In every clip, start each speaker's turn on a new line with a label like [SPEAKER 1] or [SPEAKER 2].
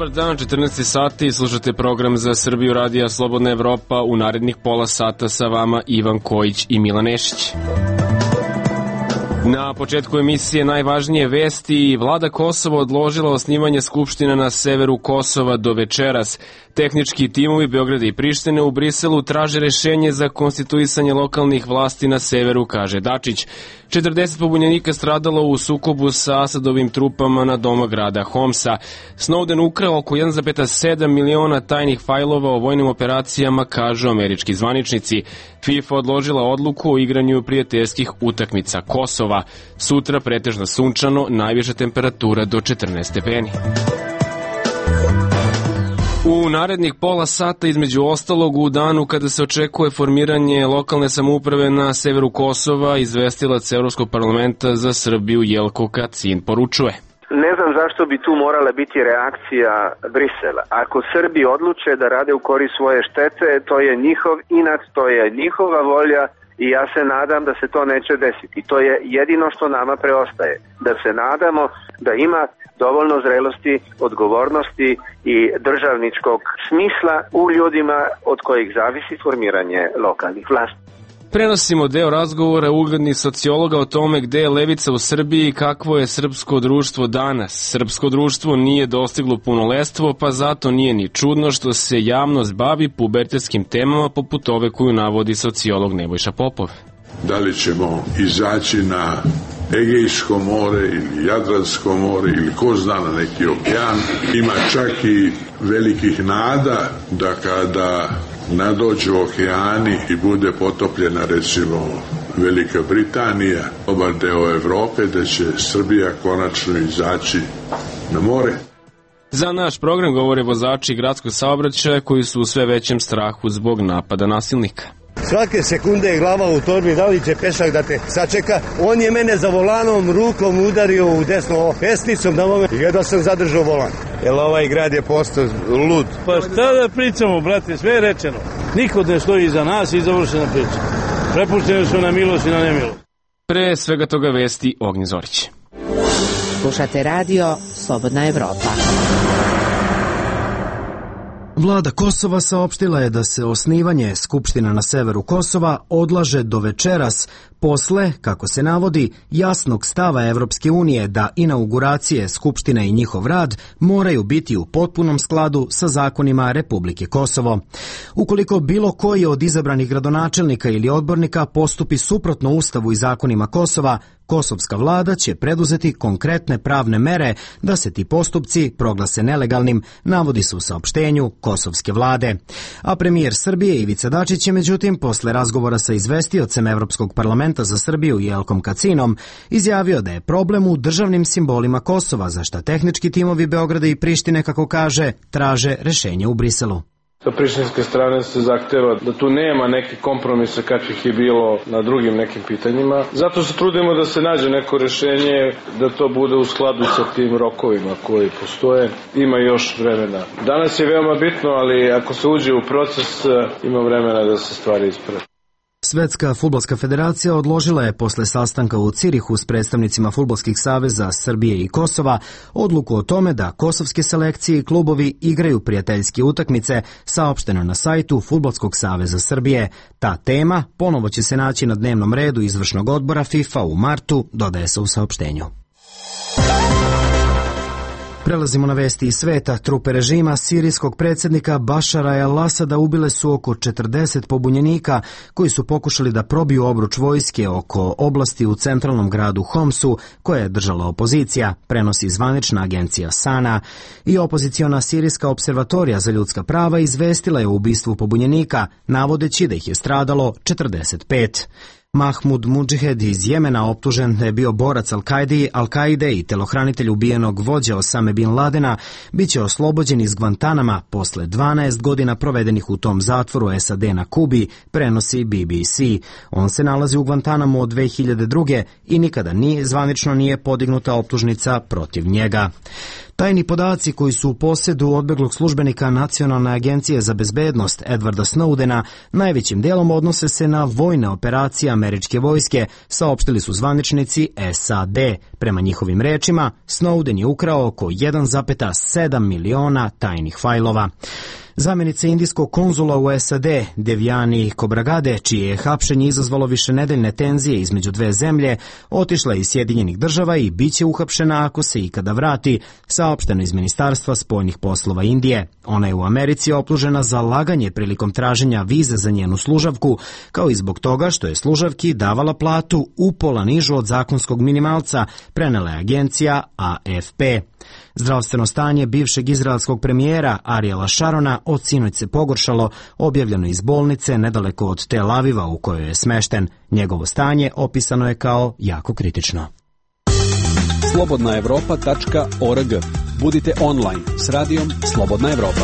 [SPEAKER 1] Dobar dan, 14 sati, slušate program za Srbiju radija Slobodna Evropa. U narednih pola sata sa vama Ivan Kojić i Milan Nešić. Na početku emisije najvažnije vesti. Vlada Kosova odložila osnivanje skupština na severu Kosova do večeras. Tehnički timovi Beograda i Prištine u Briselu traže rešenje za konstituisanje lokalnih vlasti na severu, kaže Dačić. 40 pobunjenika stradalo u sukobu sa Asadovim trupama na doma grada Homsa. Snowden ukrao oko 1,7 miliona tajnih fajlova o vojnim operacijama, kažu američki zvaničnici. FIFA odložila odluku o igranju prijateljskih utakmica Kosova. Sutra pretežno sunčano, najviša temperatura do 14 stepeni. U narednih pola sata, između ostalog, u danu kada se očekuje formiranje lokalne samouprave na severu Kosova, izvestilac Evropskog parlamenta za Srbiju Jelko Kacin poručuje.
[SPEAKER 2] Ne znam zašto bi tu morala biti reakcija Brisela. Ako Srbi odluče da rade u korist svoje štete, to je njihov inat, to je njihova volja i ja se nadam da se to neće desiti. To je jedino što nama preostaje. Da se nadamo da ima dovoljno zrelosti, odgovornosti i državničkog smisla u ljudima od kojih zavisi formiranje lokalnih vlasti.
[SPEAKER 1] Prenosimo deo razgovora uglednih sociologa o tome gde je levica u Srbiji i kakvo je srpsko društvo danas. Srpsko društvo nije dostiglo punoletstvo, pa zato nije ni čudno što se javnost bavi pubertetskim temama poput ove koju navodi sociolog Nebojša Popov.
[SPEAKER 3] Da li ćemo izaći na Egejsko more ili Jadransko more ili ko zna na neki okean. Ima čak i velikih nada da kada nadođu okeani i bude potopljena recimo Velika Britanija, dobar deo Evrope, da će Srbija konačno izaći na more.
[SPEAKER 1] Za naš program govore vozači gradskog saobraćaja koji su u sve većem strahu zbog napada nasilnika.
[SPEAKER 4] Svake sekunde je glava u torbi, da li će pešak da te sačeka. On je mene za volanom rukom udario u desno pesnicom na moment. Jedva sam zadržao volan. Jer ovaj grad je postao lud.
[SPEAKER 5] Pa šta da pričamo, brate, sve je rečeno. Niko ne stoji iza nas i završena priča. Prepušteni su na milost i na nemilost.
[SPEAKER 1] Pre svega toga vesti Ognjen Zorić.
[SPEAKER 6] Slušate radio Slobodna Evropa.
[SPEAKER 7] Vlada Kosova saopštila je da se osnivanje skupština na severu Kosova odlaže do večeras, posle, kako se navodi, jasnog stava Evropske unije da inauguracije skupštine i njihov rad moraju biti u potpunom skladu sa zakonima Republike Kosovo. Ukoliko bilo koji od izabranih gradonačelnika ili odbornika postupi suprotno Ustavu i zakonima Kosova, kosovska vlada će preduzeti konkretne pravne mere da se ti postupci proglase nelegalnim, navodi se u saopštenju kosovske vlade. A premijer Srbije Ivica Dačić je međutim posle razgovora sa izvestiocem Evropskog parlamenta za Srbiju Jelkom Kacinom izjavio da je problem u državnim simbolima Kosova, za šta tehnički timovi Beograda i Prištine, kako kaže, traže rešenje u Briselu.
[SPEAKER 5] Sa prištinske strane se zahteva da tu nema nekih kompromisa kakvih je bilo na drugim nekim pitanjima. Zato se trudimo da se nađe neko rešenje, da to bude u skladu sa tim rokovima koji postoje. Ima još vremena. Danas je veoma bitno, ali ako se uđe u proces, ima vremena da se stvari isprave.
[SPEAKER 7] Svetska fudbalska federacija odložila je posle sastanka u Cirihu s predstavnicima fudbalskih saveza Srbije i Kosova odluku o tome da kosovske selekcije i klubovi igraju prijateljske utakmice, saopšteno na sajtu Fudbalskog saveza Srbije. Ta tema ponovo će se naći na dnevnom redu izvršnog odbora FIFA u martu, dodaje se u saopštenju. Prelazimo na vesti iz sveta. Trupe režima sirijskog predsjednika Bašara el-Asada ubile su oko 40 pobunjenika koji su pokušali da probiju obruč vojske oko oblasti u centralnom gradu Homsu koje je držala opozicija, prenosi zvanična agencija Sana. I opoziciona sirijska observatorija za ljudska prava izvestila je o ubistvu pobunjenika, navodeći da ih je stradalo 45. Mahmud Mudžihed iz Jemena, optužen da je bio borac Al-Kaide i telohranitelj ubijenog vođa Osame Bin Ladena, bit će oslobođen iz Guantanama posle 12 godina provedenih u tom zatvoru SAD na Kubi, prenosi BBC. On se nalazi u Guantanamu od 2002. i nikada zvanično nije podignuta optužnica protiv njega. Tajni podaci koji su u posjedu odbeglog službenika Nacionalne agencije za bezbednost Edwarda Snowdena najvećim dijelom odnose se na vojne operacije američke vojske, saopštili su zvaničnici SAD. Prema njihovim rečima, Snowden je ukrao oko 1,7 miliona tajnih fajlova. Zamenica indijskog konzula u SAD, Devyani Khobragade, čije je hapšenje izazvalo višenedeljne tenzije između dve zemlje, otišla iz Sjedinjenih država i bit će uhapšena ako se ikada vrati, saopšteno iz Ministarstva spoljnih poslova Indije. Ona je u Americi optužena za laganje prilikom traženja vize za njenu služavku, kao i zbog toga što je služavki davala platu upola nižu od zakonskog minimalca, prenela je agencija AFP. Zdravstveno stanje bivšeg izraelskog premijera Ariela Šarona od sinoć se pogoršalo, objavljeno iz bolnice nedaleko od Tel Aviva u kojoj je smešten. Njegovo stanje opisano je kao jako kritično.
[SPEAKER 8] Slobodnaevropa.org. Budite online s radijom Slobodna Evropa.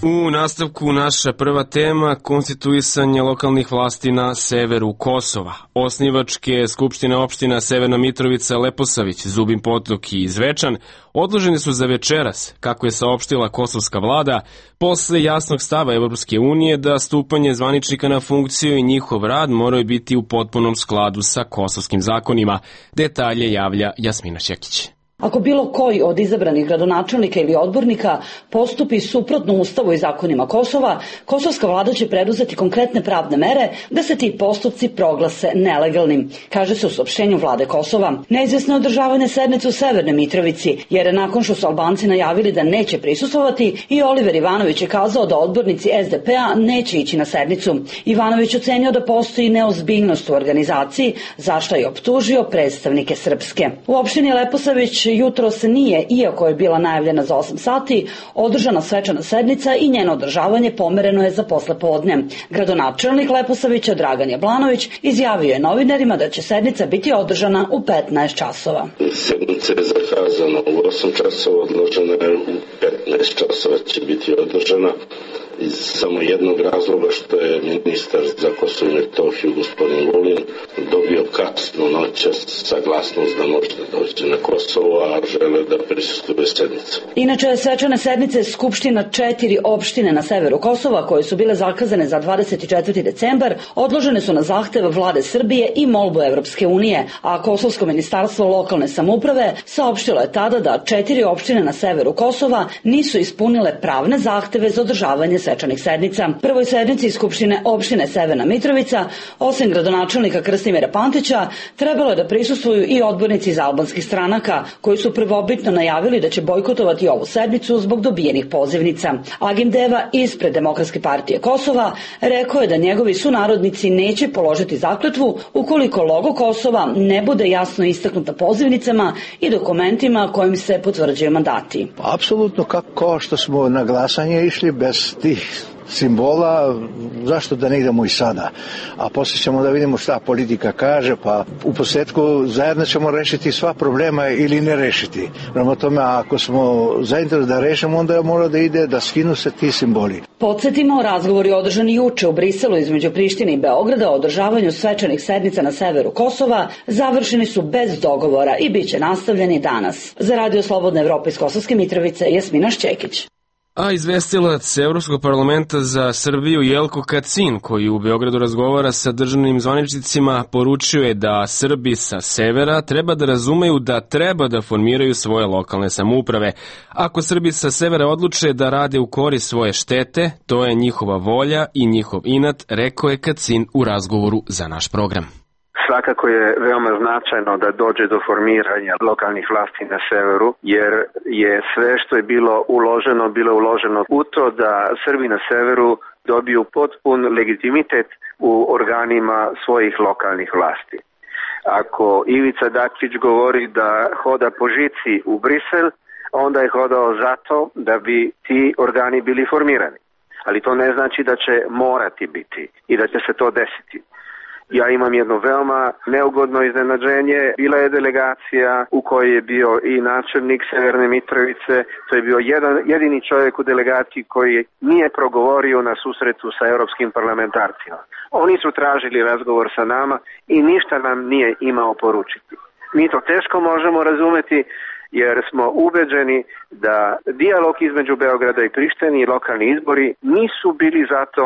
[SPEAKER 1] U nastavku naša prva tema, konstituisanje lokalnih vlasti na severu Kosova. Osnivačke skupštine opština Severna Mitrovica, Leposavić, Zubin Potok i Zvečan odloženi su za večeras, kako je saopštila kosovska vlada, posle jasnog stava Evropske unije da stupanje zvaničnika na funkciju i njihov rad moraju biti u potpunom skladu sa kosovskim zakonima. Detalje javlja Jasmina Šekić.
[SPEAKER 9] Ako bilo koji od izabranih gradonačelnika ili odbornika postupi suprotno Ustavu i zakonima Kosova, kosovska vlada će preduzeti konkretne pravne mere da se ti postupci proglase nelegalnim, kaže se u saopštenju vlade Kosova. Neizvesno je održavanje sednice u Severnoj Mitrovici, jer nakon što su Albanci najavili da neće prisustvovati, i Oliver Ivanović je kazao da odbornici SDP-a neće ići na sednicu. Ivanović ocenio da postoji neozbiljnost u organizaciji, za što je optužio predstavnike Srpske. U opštini Leposavić jutro se nije, iako je bila najavljena za 8 sati, održana svečana sednica i njeno održavanje pomereno je za poslepodne. Gradonačelnik Leposavića Dragan Jablanović izjavio je novinarima da će sednica biti održana u 15 časova.
[SPEAKER 10] Sednica je zakazana u 8 časova, odložena je u 15 časova će biti održana iz samo jednog razloga što je ministar za Kosovo i Metohiju gospodin Vulin dobio kasno noćas saglasnost da može da dođe na Kosovo, a žele da prisustvuje sednicu.
[SPEAKER 9] Inače, svečane sednice Skupština 4 opštine na severu Kosova, koje su bile zakazane za 24. decembar, odložene su na zahtev vlade Srbije i molbu Evropske unije, a Kosovsko ministarstvo lokalne samouprave saopštilo je tada da 4 opštine na severu Kosova nisu ispunile pravne zahteve za održavanje svečanih sednica. Prvoj sednici Skupštine opštine Severna Mitrovica, osim gradonačelnika Krstimira Pantića, trebalo je da prisustvuju i odbornici iz albanskih stranaka, koji su prvobitno najavili da će bojkotovati ovu sednicu zbog dobijenih pozivnica. Agim Deva ispred Demokratske partije Kosova rekao je da njegovi sunarodnici neće položiti zakletvu ukoliko logo Kosova ne bude jasno istaknuta pozivnicama i dokumentima kojim se potvrđuju mandati.
[SPEAKER 11] Apsolutno kao što smo na glasanje išli bez tih simbola, zašto da ne idemo i sada? A poslije ćemo da vidimo šta politika kaže, pa u posljedku zajedno ćemo rešiti sva problema ili ne rešiti. Prema tome, ako smo zainteresovani da rešimo, onda mora da ide da skinu se ti simboli.
[SPEAKER 9] Podsjetimo, razgovori održani juče u Briselu između Prištine i Beograda o održavanju svečanih sednica na severu Kosova završeni su bez dogovora i bit će nastavljeni danas. Za Radio Slobodna Evropa iz Kosovske Mitrovice, Jasmina Šćekić.
[SPEAKER 1] A izvestilac Evropskog parlamenta za Srbiju Jelko Kacin, koji u Beogradu razgovara sa državnim zvaničnicima, poručio je da Srbi sa severa treba da razumeju da treba da formiraju svoje lokalne samouprave. Ako Srbi sa severa odluče da rade u korist svoje štete, to je njihova volja i njihov inat, rekao je Kacin u razgovoru za naš program.
[SPEAKER 2] Svakako je veoma značajno da dođe do formiranja lokalnih vlasti na severu, jer je sve što je bilo uloženo u to da Srbi na severu dobiju potpun legitimitet u organima svojih lokalnih vlasti. Ako Ivica Dačić govori da hoda po žici u Brisel, onda je hodao zato da bi ti organi bili formirani. Ali to ne znači da će morati biti i da će se to desiti. Ja imam jedno veoma neugodno iznenađenje. Bila je delegacija u kojoj je bio i načelnik Severne Mitrovice. To je bio jedini čovjek u delegaciji koji nije progovorio na susretu sa europskim parlamentarcima. Oni su tražili razgovor sa nama i ništa nam nije imao poručiti. Mi to teško možemo razumeti jer smo ubeđeni da dijalog između Beograda i Prištine i lokalni izbori nisu bili zato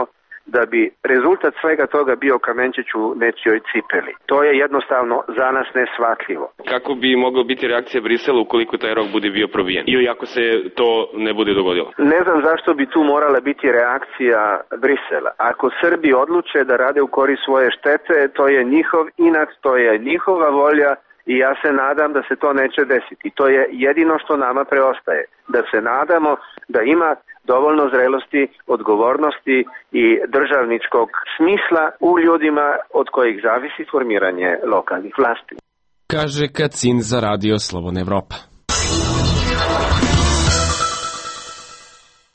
[SPEAKER 2] da bi rezultat svega toga bio kamenčić u nečijoj cipeli. To je jednostavno za nas neshvatljivo.
[SPEAKER 1] Kako bi mogla biti reakcija Brisela ukoliko taj rok bude bio probijen ili ako se to ne bude dogodilo?
[SPEAKER 2] Ne znam zašto bi tu morala biti reakcija Brisela. Ako Srbi odluče da rade u korist svoje štete, to je njihov inat, to je njihova volja i ja se nadam da se to neće desiti. To je jedino što nama preostaje. Da se nadamo da ima dovoljno zrelosti, odgovornosti i državničkog smisla u ljudima od kojih zavisi formiranje lokalnih vlasti.
[SPEAKER 1] Kaže Kacin za Radio Slobodna Evropa.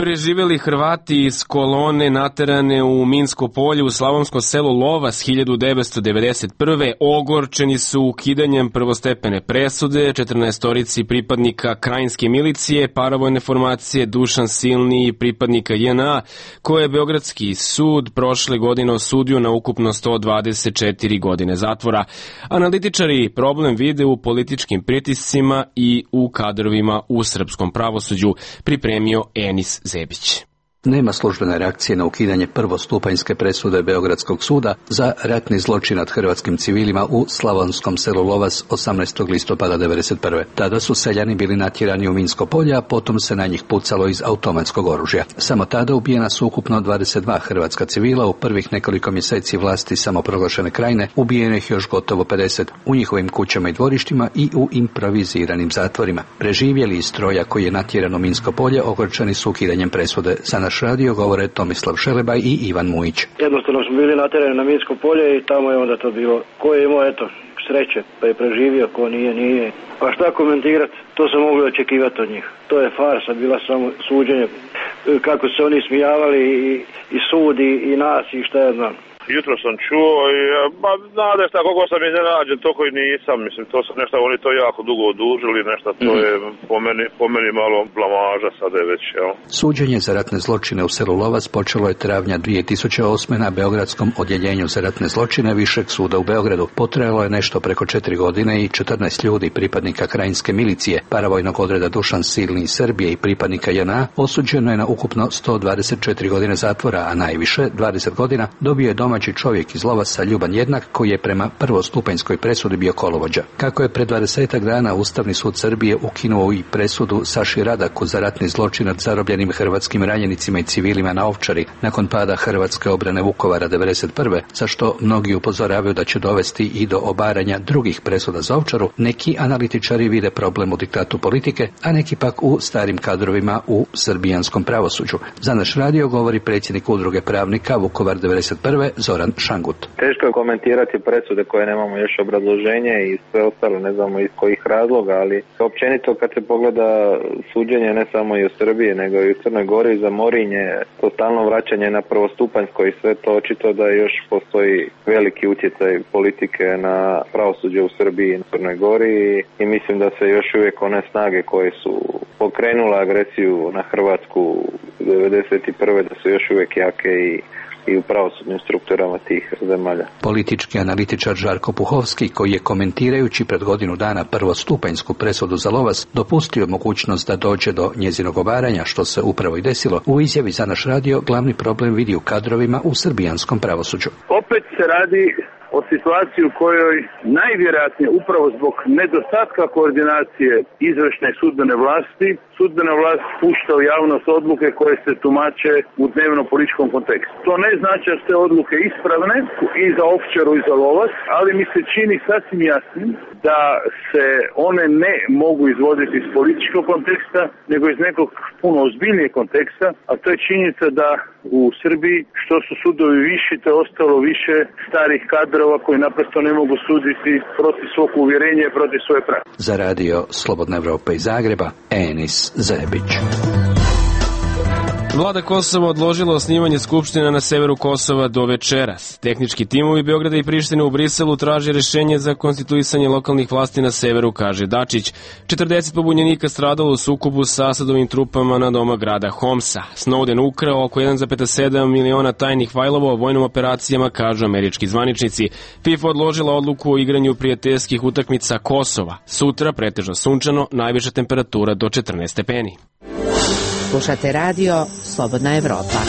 [SPEAKER 1] Preživeli Hrvati iz kolone naterane u Minsko polje u slavonskom selu Lovas 1991. ogorčeni su ukidanjem prvostepene presude 14 pripadnika krajinske milicije, paravojne formacije Dušan Silni i pripadnika JNA, koje je Beogradski sud prošle godine osudio na ukupno 124 godine zatvora. Analitičari problem vide u političkim pritiscima i u kadrovima u srpskom pravosuđu, pripremio Enis Zebić.
[SPEAKER 12] Nema službene reakcije na ukidanje prvostupanjske presude Beogradskog suda za ratni zločin nad hrvatskim civilima u slavonskom selu Lovas 18. listopada 1991. Tada su seljani bili natjerani u Minsko polje, a potom se na njih pucalo iz automatskog oružja. Samo tada ubijena su ukupno 22 hrvatska civila, u prvih nekoliko mjeseci vlasti samoproglašene krajine ubijeno ih još gotovo 50 u njihovim kućama i dvorištima i u improviziranim zatvorima. Preživjeli iz stroja koji je natjeran u Minsko polje ogorčeni su ukidanjem presude. Za naš radio govore Tomislav Šelebaj i Ivan Mujić.
[SPEAKER 13] Jednostavno smo bili natjerani na Minsko polje i tamo je onda to bilo. Ko je imao, eto, sreće, pa je preživio, ko nije. Pa šta komentirati? To se moglo očekivati od njih. To je farsa, bila samo suđenje. Kako se oni smijavali i sudi i nas i šta ja znam.
[SPEAKER 14] Jutro sam čuo i znate šta, koliko sam iznenađen, toliko i nisam, mislim, to su nešto, oni to jako dugo odužili, nešto, to je po meni malo blamaža sada je već, jel?
[SPEAKER 12] Suđenje za ratne zločine u selu Lovas počelo je travnja 2008. na Beogradskom odjeljenju za ratne zločine Višeg suda u Beogradu. Potrajalo je nešto preko 4 godine i 14 ljudi, pripadnika krajinske milicije, paravojnog odreda Dušan Silni iz Srbije i pripadnika JNA, osuđeno je na ukupno 124 godine zatvora, a najviše, 20 godina, dobio je domaći čovjek iz Lovasa Ljuban Jednak, koji je prema prvostupanjskoj presudi bio kolovođa. Kako je pred 20 dana Ustavni sud Srbije ukinuo i presudu Saši Radaku za ratni zločin nad zarobljenim hrvatskim ranjenicima i civilima na Ovčari nakon pada hrvatske obrane Vukovara 1991. za što mnogi upozoravaju da će dovesti i do obaranja drugih presuda za Ovčaru, neki analitičari vide problem u diktatu politike, a neki pak u starim kadrovima u srbijanskom pravosuđu. Za naš radio govori predsjednik udruge pravnika Vukovar 1991. Zoran Šangut.
[SPEAKER 15] Teško je komentirati presude koje nemamo još obrazloženje i sve ostalo, ne znamo iz kojih razloga, ali općenito kad se pogleda suđenje ne samo i u Srbiji, nego i u Crnoj Gori za Morinje, to stalno vraćanje na prvostupanjsko i sve to očito da još postoji veliki utjecaj politike na pravosuđe u Srbiji i na Crnoj Gori i mislim da se još uvijek one snage koje su pokrenule agresiju na Hrvatsku 1991. da su još uvijek jake i u pravosudnim strukturama tih zemalja.
[SPEAKER 12] Politički analitičar Žarko Puhovski, koji je komentirajući pred godinu dana prvostupanjsku presudu za Lovas dopustio mogućnost da dođe do njezinog obaranja, što se upravo i desilo, u izjavi za naš radio glavni problem vidi u kadrovima u srbijanskom pravosuđu.
[SPEAKER 16] Opet se radi o situaciji u kojoj najvjerojatnije upravo zbog nedostatka koordinacije izvršne i sudbene vlasti, sudbena vlast pušta u javnost odluke koje se tumače u dnevno političkom kontekstu. To ne znači da su te odluke ispravne i za Ovčaru i za Lovas, ali mi se čini sasvim jasnim da se one ne mogu izvoditi iz političkog konteksta, nego iz nekog puno ozbiljnijeg konteksta, a to je činjenica da u Srbiji što su sudovi viši, te ostalo više starih kadrova koji naprosto ne mogu suditi protiv svog uvjerenja i protiv svoje pravde.
[SPEAKER 12] Za radio Slobodna Evropa iz Zagreba, Enis Zebić.
[SPEAKER 1] Vlada Kosova odložila osnivanje skupština na severu Kosova do večeras. Tehnički timovi Beograda i Prištine u Briselu traže rešenje za konstituisanje lokalnih vlasti na severu, kaže Dačić. 40 pobunjenika stradalo u sukobu sa Asadovim trupama na doma grada Homsa. Snowden ukrao oko 1,7 miliona tajnih fajlova o vojnim operacijama, kažu američki zvaničnici. FIFA odložila odluku o igranju prijateljskih utakmica Kosova. Sutra pretežno sunčano, najviša temperatura do 14 stepeni.
[SPEAKER 6] Slušate radio Slobodna Evropa.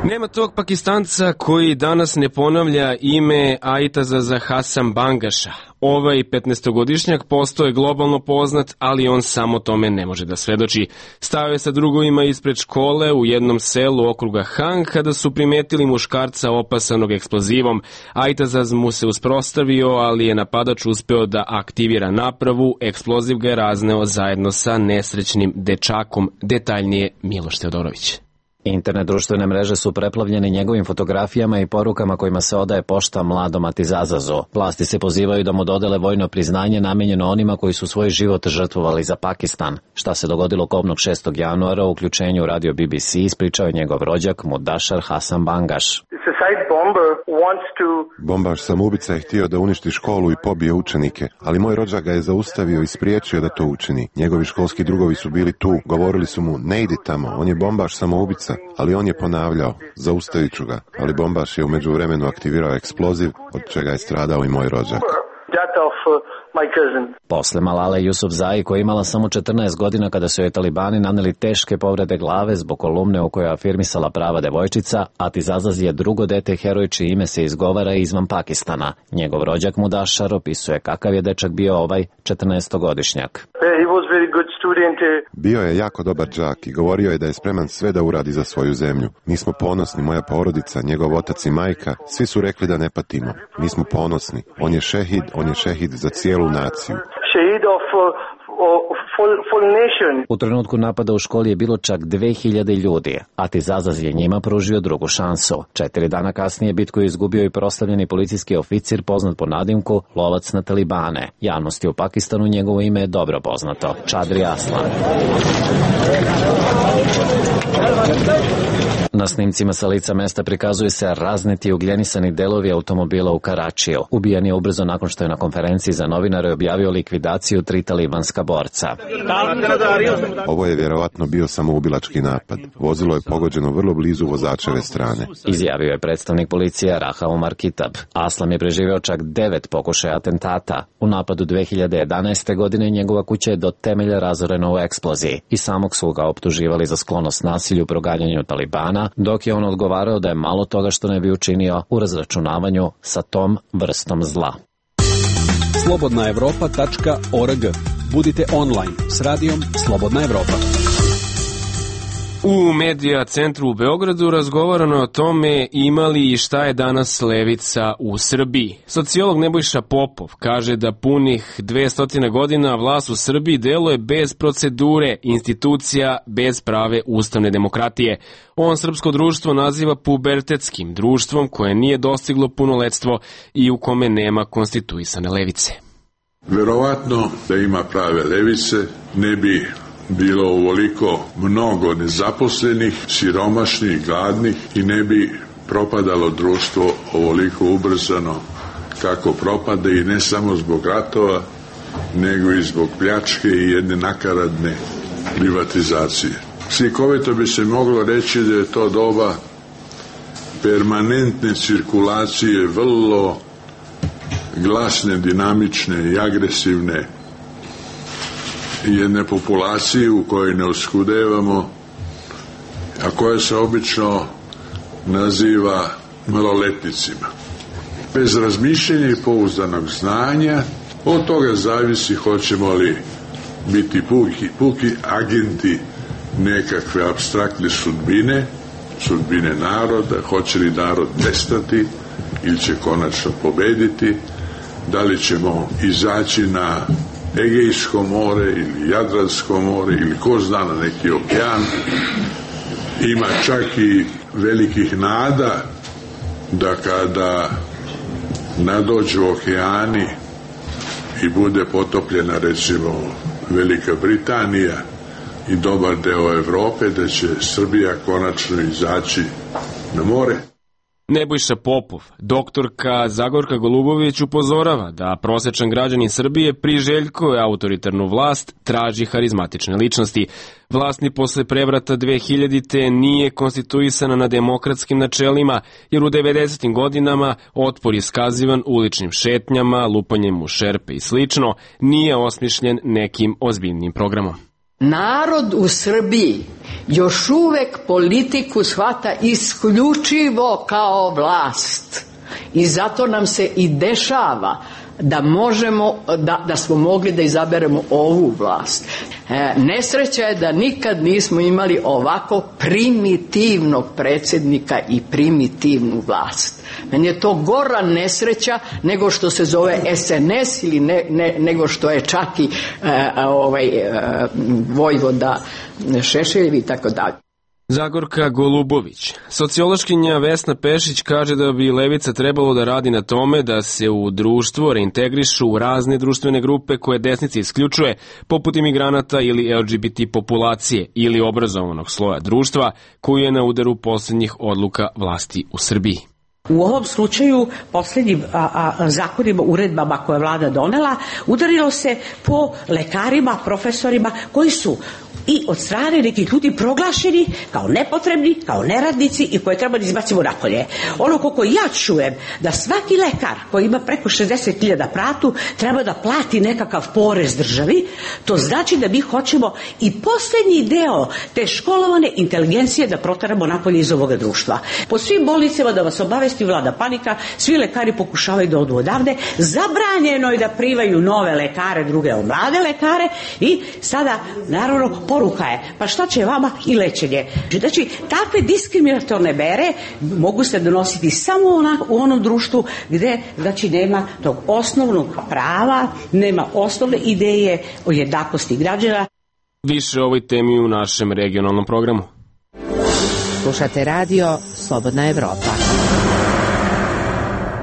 [SPEAKER 1] Nema tog Pakistanca koji danas ne ponavlja ime Aitaza Hasanbangaša. Ovaj 15-godišnjak postao je globalno poznat, ali on samo tome ne može da svedoči. Stao je sa drugovima ispred škole u jednom selu okruga Hang kada su primetili muškarca opasanog eksplozivom. Aitazaz mu se usprostavio, ali je napadač uspeo da aktivira napravu. Eksploziv ga je razneo zajedno sa nesrećnim dečakom. Detaljnije Miloš Teodorović.
[SPEAKER 17] Internet društvene mreže su preplavljene njegovim fotografijama i porukama kojima se odaje pošta mladom Atizazazu. Vlasti se pozivaju da mu dodele vojno priznanje namenjeno onima koji su svoj život žrtvovali za Pakistan. Šta se dogodilo kobnog 6. januara u uključenju radio BBC ispričao je njegov rođak Mudašar Hasanbangaš.
[SPEAKER 18] Bombaš samoubica je htio da uništi školu i pobije učenike, ali moj rođak ga je zaustavio i spriječio da to učini. Njegovi školski drugovi su bili tu, govorili su mu ne idi tamo, on je bombaš samoubica, ali on je ponavljao, zaustavit ću ga, ali bombaš je u međuvremenu aktivirao eksploziv, od čega je stradao i moj rođak.
[SPEAKER 17] Posle Malale Yousafzai, koja je imala samo 14 godina kada su joj talibani naneli teške povrede glave zbog kolumne u kojoj je afirmisala prava devojčica, Atizazaz je drugo dete heroj čije ime se izgovara izvan Pakistana. Njegov rođak Mudašar opisuje kakav je dečak bio ovaj 14-godišnjak.
[SPEAKER 18] Bio je jako dobar đak i govorio je da je spreman sve da uradi za svoju zemlju. Mi smo ponosni, moja porodica, njegov otac i majka, svi su rekli da ne patimo. Mi smo ponosni. On je šehid za cijelu naciju.
[SPEAKER 17] U trenutku napada u školi je bilo čak 2000 ljudi. Atizazaz je njima pružio drugu šansu. 4 dana kasnije bitku je izgubio i proslavljeni policijski oficir poznat po nadimku Lovac na Talibane. Javnosti u Pakistanu njegovo ime je dobro poznato. Čadri Aslan. Na snimcima sa lica mesta prikazuju se razneti ugljenisani delovi automobila u Karačiju. Ubijen je ubrzo nakon što je na konferenciji za novinare objavio likvidaciju 3 talibanska borca.
[SPEAKER 18] Ovo je vjerovatno bio samoubilački napad. Vozilo je pogođeno vrlo blizu vozačeve strane,
[SPEAKER 17] izjavio je predstavnik policije Raha Omar Kitab. Aslam je preživio čak 9 pokušaja atentata. U napadu 2011. godine njegova kuća je do temelja razorena u eksploziji i samog su ga optuživali za sklonost nasilju u proganjanju Talibana, dok je on odgovarao da je malo toga što ne bi učinio u razračunavanju sa tom vrstom zla.
[SPEAKER 8] slobodnaevropa.org. Budite online s radijom Slobodna Evropa.
[SPEAKER 1] U Medija centru u Beogradu razgovarano je o tome imali i šta je danas levica u Srbiji. Sociolog Nebojša Popov kaže da punih 200 godina vlast u Srbiji deluje bez procedure, institucija, bez prave ustavne demokratije. On srpsko društvo naziva pubertetskim društvom koje nije dostiglo punoletstvo i u kome nema konstituisane levice.
[SPEAKER 3] Verovatno da ima prave levice ne bi bilo ovoliko mnogo nezaposlenih, siromašnih, gladnih i ne bi propadalo društvo ovoliko ubrzano kako propade i ne samo zbog ratova, nego i zbog pljačke i jedne nakaradne privatizacije. Slikovito bi se moglo reći da je to doba permanentne cirkulacije vrlo glasne, dinamične i agresivne jedne populacije u kojoj ne oskudevamo, a koja se obično naziva maloletnicima. Bez razmišljenja i pouzdanog znanja, od toga zavisi hoćemo li biti puki agenti nekakve apstraktne sudbine naroda, hoće li narod nestati ili će konačno pobediti, da li ćemo izaći na Egejsko more ili Jadransko more ili ko zna na neki okean. Ima čak i velikih nada da kada nadođu okeani i bude potopljena recimo Velika Britanija i dobar deo Evrope, da će Srbija konačno izaći na more.
[SPEAKER 1] Nebojša Popov, doktorka Zagorka Golubović upozorava da prosečan građanin Srbije priželjkuje autoritarnu vlast, traži harizmatične ličnosti. Vlast ni posle prevrata 2000-te nije konstituisana na demokratskim načelima, jer u 90. godinama otpor iskazivan uličnim šetnjama, lupanjem u šerpe i slično, nije osmišljen nekim ozbiljnim programom.
[SPEAKER 19] Narod u Srbiji još uvek politiku shvata isključivo kao vlast i zato nam se i dešava da možemo, da smo mogli da izaberemo ovu vlast. Nesreća je da nikad nismo imali ovako primitivnog predsjednika i primitivnu vlast. Meni je to gora nesreća nego što se zove SNS ili nego što je čak i vojvoda Šešeljevi i tako dalje.
[SPEAKER 1] Zagorka Golubović. Sociološkinja Vesna Pešić kaže da bi levica trebalo da radi na tome da se u društvo reintegrišu u razne društvene grupe koje desnica isključuje, poput imigranata ili LGBT populacije ili obrazovanog sloja društva koji je na udaru posljednjih odluka vlasti u Srbiji.
[SPEAKER 20] U ovom slučaju posljednjim zakonima, uredbama koje je vlada donela, udarilo se po lekarima, profesorima koji su i od strane nekih ljudi proglašeni kao nepotrebni, kao neradnici i koje treba da izbacimo napolje. Ono koliko ja čujem da svaki lekar koji ima preko 60.000 platu treba da plati nekakav porez državi, to znači da mi hoćemo i posljednji deo te školovane inteligencije da protaramo napolje iz ovoga društva. Po svim bolnicama, da vas obavesti, vlada panika, svi lekari pokušavaju da odu odavde, zabranjeno je da primaju nove lekare, druge mlade lekare i sada naravno poruka je, pa šta će vama i lečenje. Znači, takve diskriminatorne mere mogu se donositi samo u onom društvu gde, znači, nema tog osnovnog prava, nema osnovne ideje o jednakosti građana.
[SPEAKER 1] Više o ovoj temi u našem regionalnom programu.
[SPEAKER 6] Slušate radio Slobodna Evropa.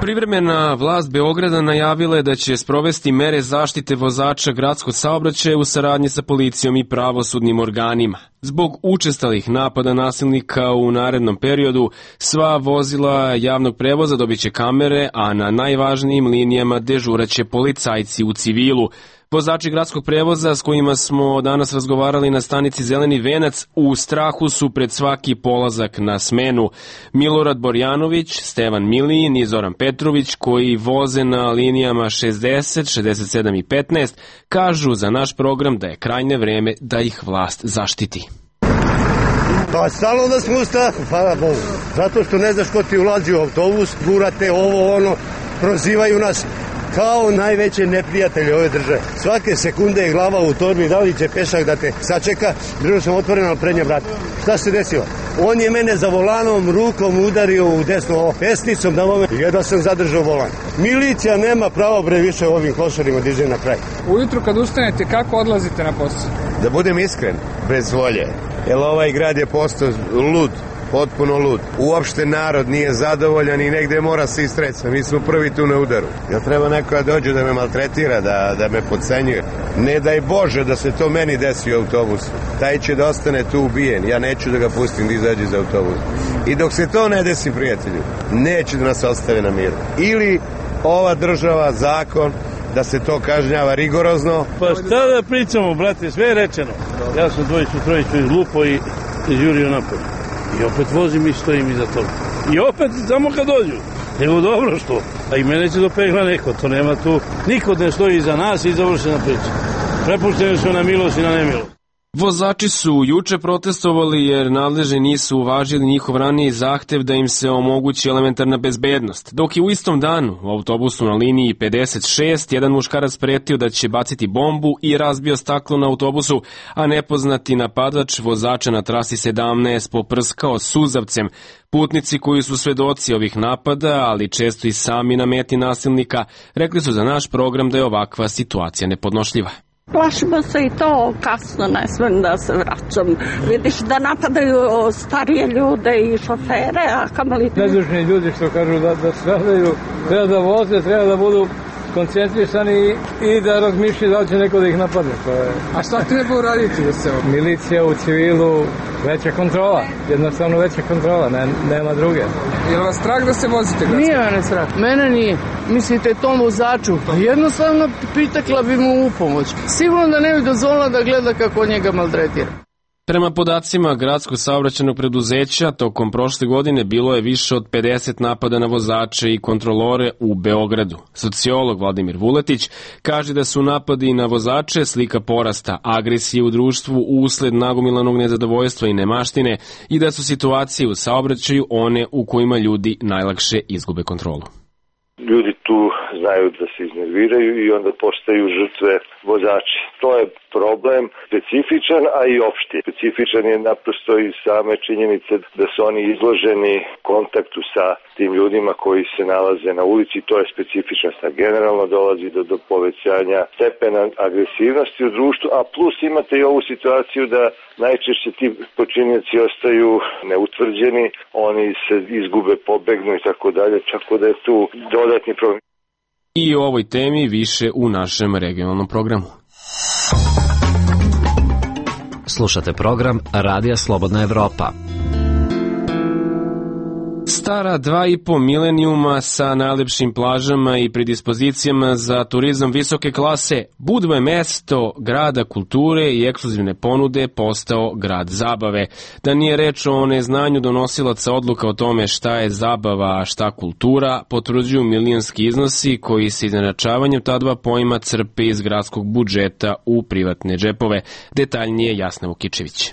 [SPEAKER 1] Privremena vlast Beograda najavila je da će sprovesti mere zaštite vozača gradskog saobraćaja u saradnji sa policijom i pravosudnim organima. Zbog učestalih napada nasilnika u narednom periodu, sva vozila javnog prevoza dobiće kamere, a na najvažnijim linijama dežuraće policajci u civilu. Vozači gradskog prevoza s kojima smo danas razgovarali na stanici Zeleni venac u strahu su pred svaki polazak na smenu. Milorad Borjanović, Stevan Milijin i Zoran Petrović, koji voze na linijama 60, 67 i 15, kažu za naš program da je krajnje vreme da ih vlast zaštiti.
[SPEAKER 4] Pa stalno da smo u strahu, hvala Bogu. Zato što ne znaš ko ti ulazi u autobus, gurate ovo, ono, prozivaju nas kao najveće neprijatelje ove države. Svake sekunde je glava u torbi, da li će pešak da te sačeka, držao sam otvoreno prednje vrata. Šta se desilo? On je mene za volanom rukom udario u desno pesnicom, jedva sam zadržao volan. Milicija nema pravo bre više ovim košarima diže na kraj.
[SPEAKER 21] Ujutru kad ustanete, kako odlazite na posao?
[SPEAKER 4] Da budem iskren, bez volje. Jer ovaj grad je postao lud. Potpuno lud. Uopšte narod nije zadovoljan i negde mora se istreca. Mi smo prvi tu na udaru. Jel treba neko da dođe da me maltretira, da me podcenjuje? Ne daj Bože da se to meni desi u autobusu. Taj će da ostane tu ubijen. Ja neću da ga pustim da izađe iz autobusa. I dok se to ne desi, prijatelju, neće da nas ostave na miru. Ili ova država, zakon, da se to kažnjava rigorozno.
[SPEAKER 22] Pa šta da pričamo, brate, sve je rečeno. Ja sam trojicu izlupo i izjurio napolje. I opet vozim i stojim iza toga. I opet samo kad dođu. Nego dobro što. A i mene će dopegla neko. To nema tu. Niko ne stoji iza nas i završena priča. Prepušteni su na milost i na nemilost.
[SPEAKER 1] Vozači su juče protestovali jer nadležni nisu uvažili njihov raniji zahtev da im se omogući elementarna bezbednost. Dok je u istom danu u autobusu na liniji 56 jedan muškarac pretio da će baciti bombu i razbio staklo na autobusu, a nepoznati napadač vozača na trasi 17 poprskao suzavcem. Putnici koji su svedoci ovih napada, ali često i sami na meti nasilnika, rekli su za naš program da je ovakva situacija nepodnošljiva.
[SPEAKER 23] Plašimo se i to, kasno ne smem da se vraćam. Vidiš da napadaju starije ljude i šofere, a kamali...
[SPEAKER 22] Nedužni ljudi što kažu da stradaju, treba da voze, treba da budu
[SPEAKER 21] koncentrisani i da razmišljaju da li će neko da ih napadne. A šta treba uraditi da se ovo? Milicija u civilu, veća kontrola, jednostavno veća kontrola, nema druge. Je li vas strah da se vozite?
[SPEAKER 5] Nije mene strah, mene nije. Mislite tom vozaču? Jednostavno pritekla bi mu u pomoć. Sigurno da ne bi dozvolila da gleda kako njega maltretira.
[SPEAKER 1] Prema podacima gradskog saobraćajnog preduzeća, tokom prošle godine bilo je više od 50 napada na vozače i kontrolore u Beogradu. Sociolog Vladimir Vuletić kaže da su napadi na vozače slika porasta agresije u društvu usled nagomilanog nezadovoljstva i nemaštine i da su situacije u saobraćaju one u kojima ljudi najlakše izgube kontrolu.
[SPEAKER 7] Ljudi tu znaju da se iznerviraju i onda postaju žrtve vozači. To je problem specifičan, a i opšti. Specifičan je naprosto i same činjenice da su oni izloženi kontaktu sa tim ljudima koji se nalaze na ulici. To je specifičnost. Generalno dolazi do povećanja stepena agresivnosti u društvu, a plus imate i ovu situaciju da najčešće ti počinioci ostaju neutvrđeni, oni se izgube, pobegnu i tako dalje, tako da je tu dodatni problem.
[SPEAKER 1] I o ovoj temi više u našem regionalnom programu.
[SPEAKER 17] Slušate program Radija Slobodna Evropa.
[SPEAKER 1] Stara 2,5 milenijuma sa najlepšim plažama i predispozicijama za turizam visoke klase, Budva je mesto grada kulture i ekskluzivne ponude postao grad zabave. Da nije reč o neznanju donosilaca odluka o tome šta je zabava, a šta kultura, potvrđuju milijonski iznosi koji se izjednačavanjem ta dva pojma crpe iz gradskog budžeta u privatne džepove. Detaljnije Jasna Vukičević.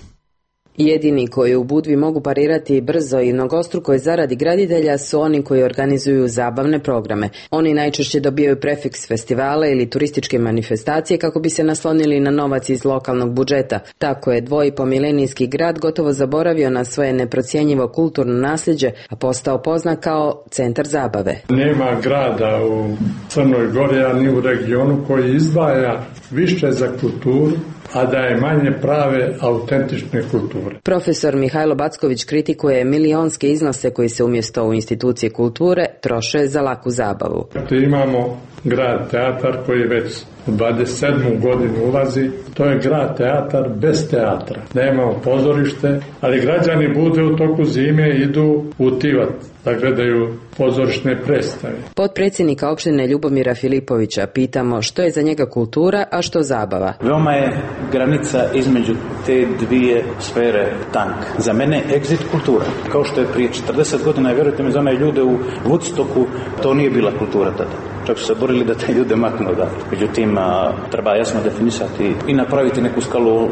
[SPEAKER 10] Jedini koji u Budvi mogu parirati brzo i mnogostrukoj zaradi graditelja su oni koji organizuju zabavne programe. Oni najčešće dobijaju prefiks festivala ili turističke manifestacije kako bi se naslonili na novac iz lokalnog budžeta. Tako je 2,5-milenijski grad gotovo zaboravio na svoje neprocjenjivo kulturno nasljeđe, a postao poznat kao centar zabave.
[SPEAKER 24] Nema grada u Crnoj Gori, a ni u regionu koji izdvaja više za kulturu, a da je manje prave, autentične kulture.
[SPEAKER 10] Profesor Mihajlo Backović kritikuje milionske iznose koji se umjesto u institucije kulture troše za laku zabavu.
[SPEAKER 24] Imamo grad teatar koji već u 27. godinu ulazi. To je grad teatar bez teatra. Nemamo pozorište, ali građani Budve u toku zime idu u Tivat da gledaju pozorišne predstave.
[SPEAKER 10] Potpredsjednika opštine Ljubomira Filipovića pitamo što je za njega kultura, a što zabava.
[SPEAKER 25] Veoma je granica između te dvije sfere tanka. Za mene exit kultura. Kao što je prije 40 godina, vjerujte mi, za one ljude u Woodstocku, to nije bila kultura tada. Čak su se borili da te ljude maknu odatle. Međutim, treba jasno definisati i napraviti neku skalu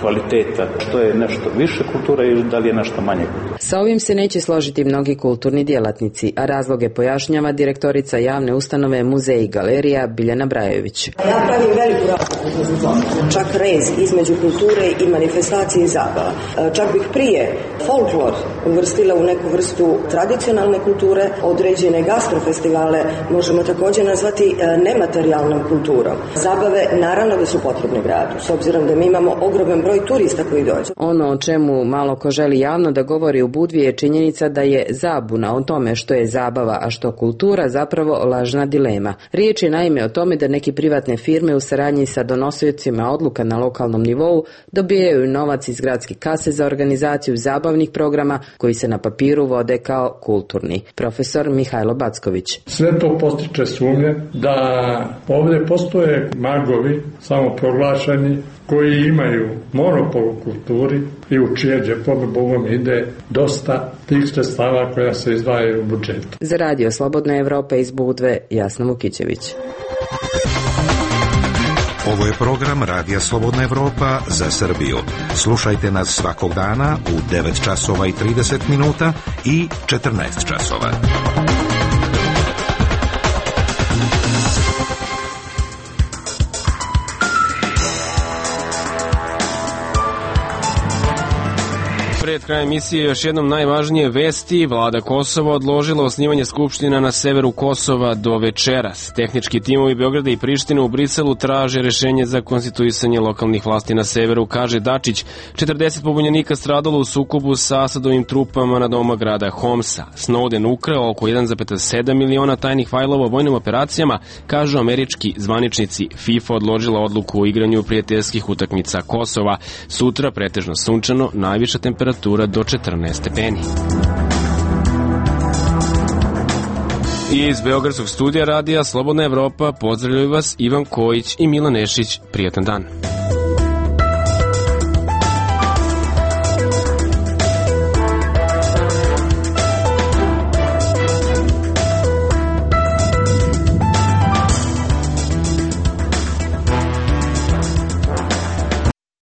[SPEAKER 25] kvaliteta, što je nešto više kultura i da li je nešto manje kultura.
[SPEAKER 10] Sa ovim se neće složiti mnogi kulturni djelatnici, a razloge pojašnjava direktorica javne ustanove Muzej i galerija Biljana Brajević.
[SPEAKER 26] Ja pravim veliku razliku, čak rez između kulture i manifestacije i zabava. Čak bih prije folklor uvrstila u neku vrstu tradicionalne kulture, određene gastrofestivale možemo također nazvati nematerijalnom kulturom. Zabave naravno da su potrebne gradu, s obzirom da mi imamo ogroman broj turista koji dođu.
[SPEAKER 10] Ono o čemu malo ko želi javno da govori u Budvi je činjenica da je zabuna o tome što je zabava, a što kultura zapravo lažna dilema. Riječ je naime o tome da neki privatne firme u saradnji sa donosiocima odluka na lokalnom nivou dobijaju novac iz gradske kase za organizaciju zabavnih programa koji se na papiru vode kao kulturni. Profesor Mihajlo Backović.
[SPEAKER 24] Sve to postiče sumnje da ovdje postoje magovi samoproglašeni koji imaju monopol u kulturi i u čije džepove Bogom ide dosta tih sredstava koja se izdvajaju u budžetu.
[SPEAKER 10] Za Radio Slobodna Evropa iz Budve, Jasna Vukićević.
[SPEAKER 27] Ovo je program Radija Slobodna Evropa za Srbiju. Slušajte nas svakog dana u 9 časova i 30 minuta i 14 časova.
[SPEAKER 1] pred krajem emisije još jednom najvažnije vesti. Vlada Kosova odložila osnivanje skupština na severu Kosova do večeras. Tehnički timovi Beograda i Prištine u Briselu traže rešenje za konstituisanje lokalnih vlasti na severu, kaže Dačić. 40 pobunjenika stradalo u sukobu sa Asadovim trupama na doma grada Homsa. Snowden ukrao oko 1,7 miliona tajnih fajlova o vojnim operacijama, kažu američki zvaničnici. FIFA odložila odluku o igranju prijateljskih utakmica Kosova. Sutra pretežno sunčano, najviša temperatura do 14 stepeni. I iz Beogradskog studija radija Slobodna Evropa pozdravljaju vas Ivan Kojić i Milan Nešić. Prijatan dan.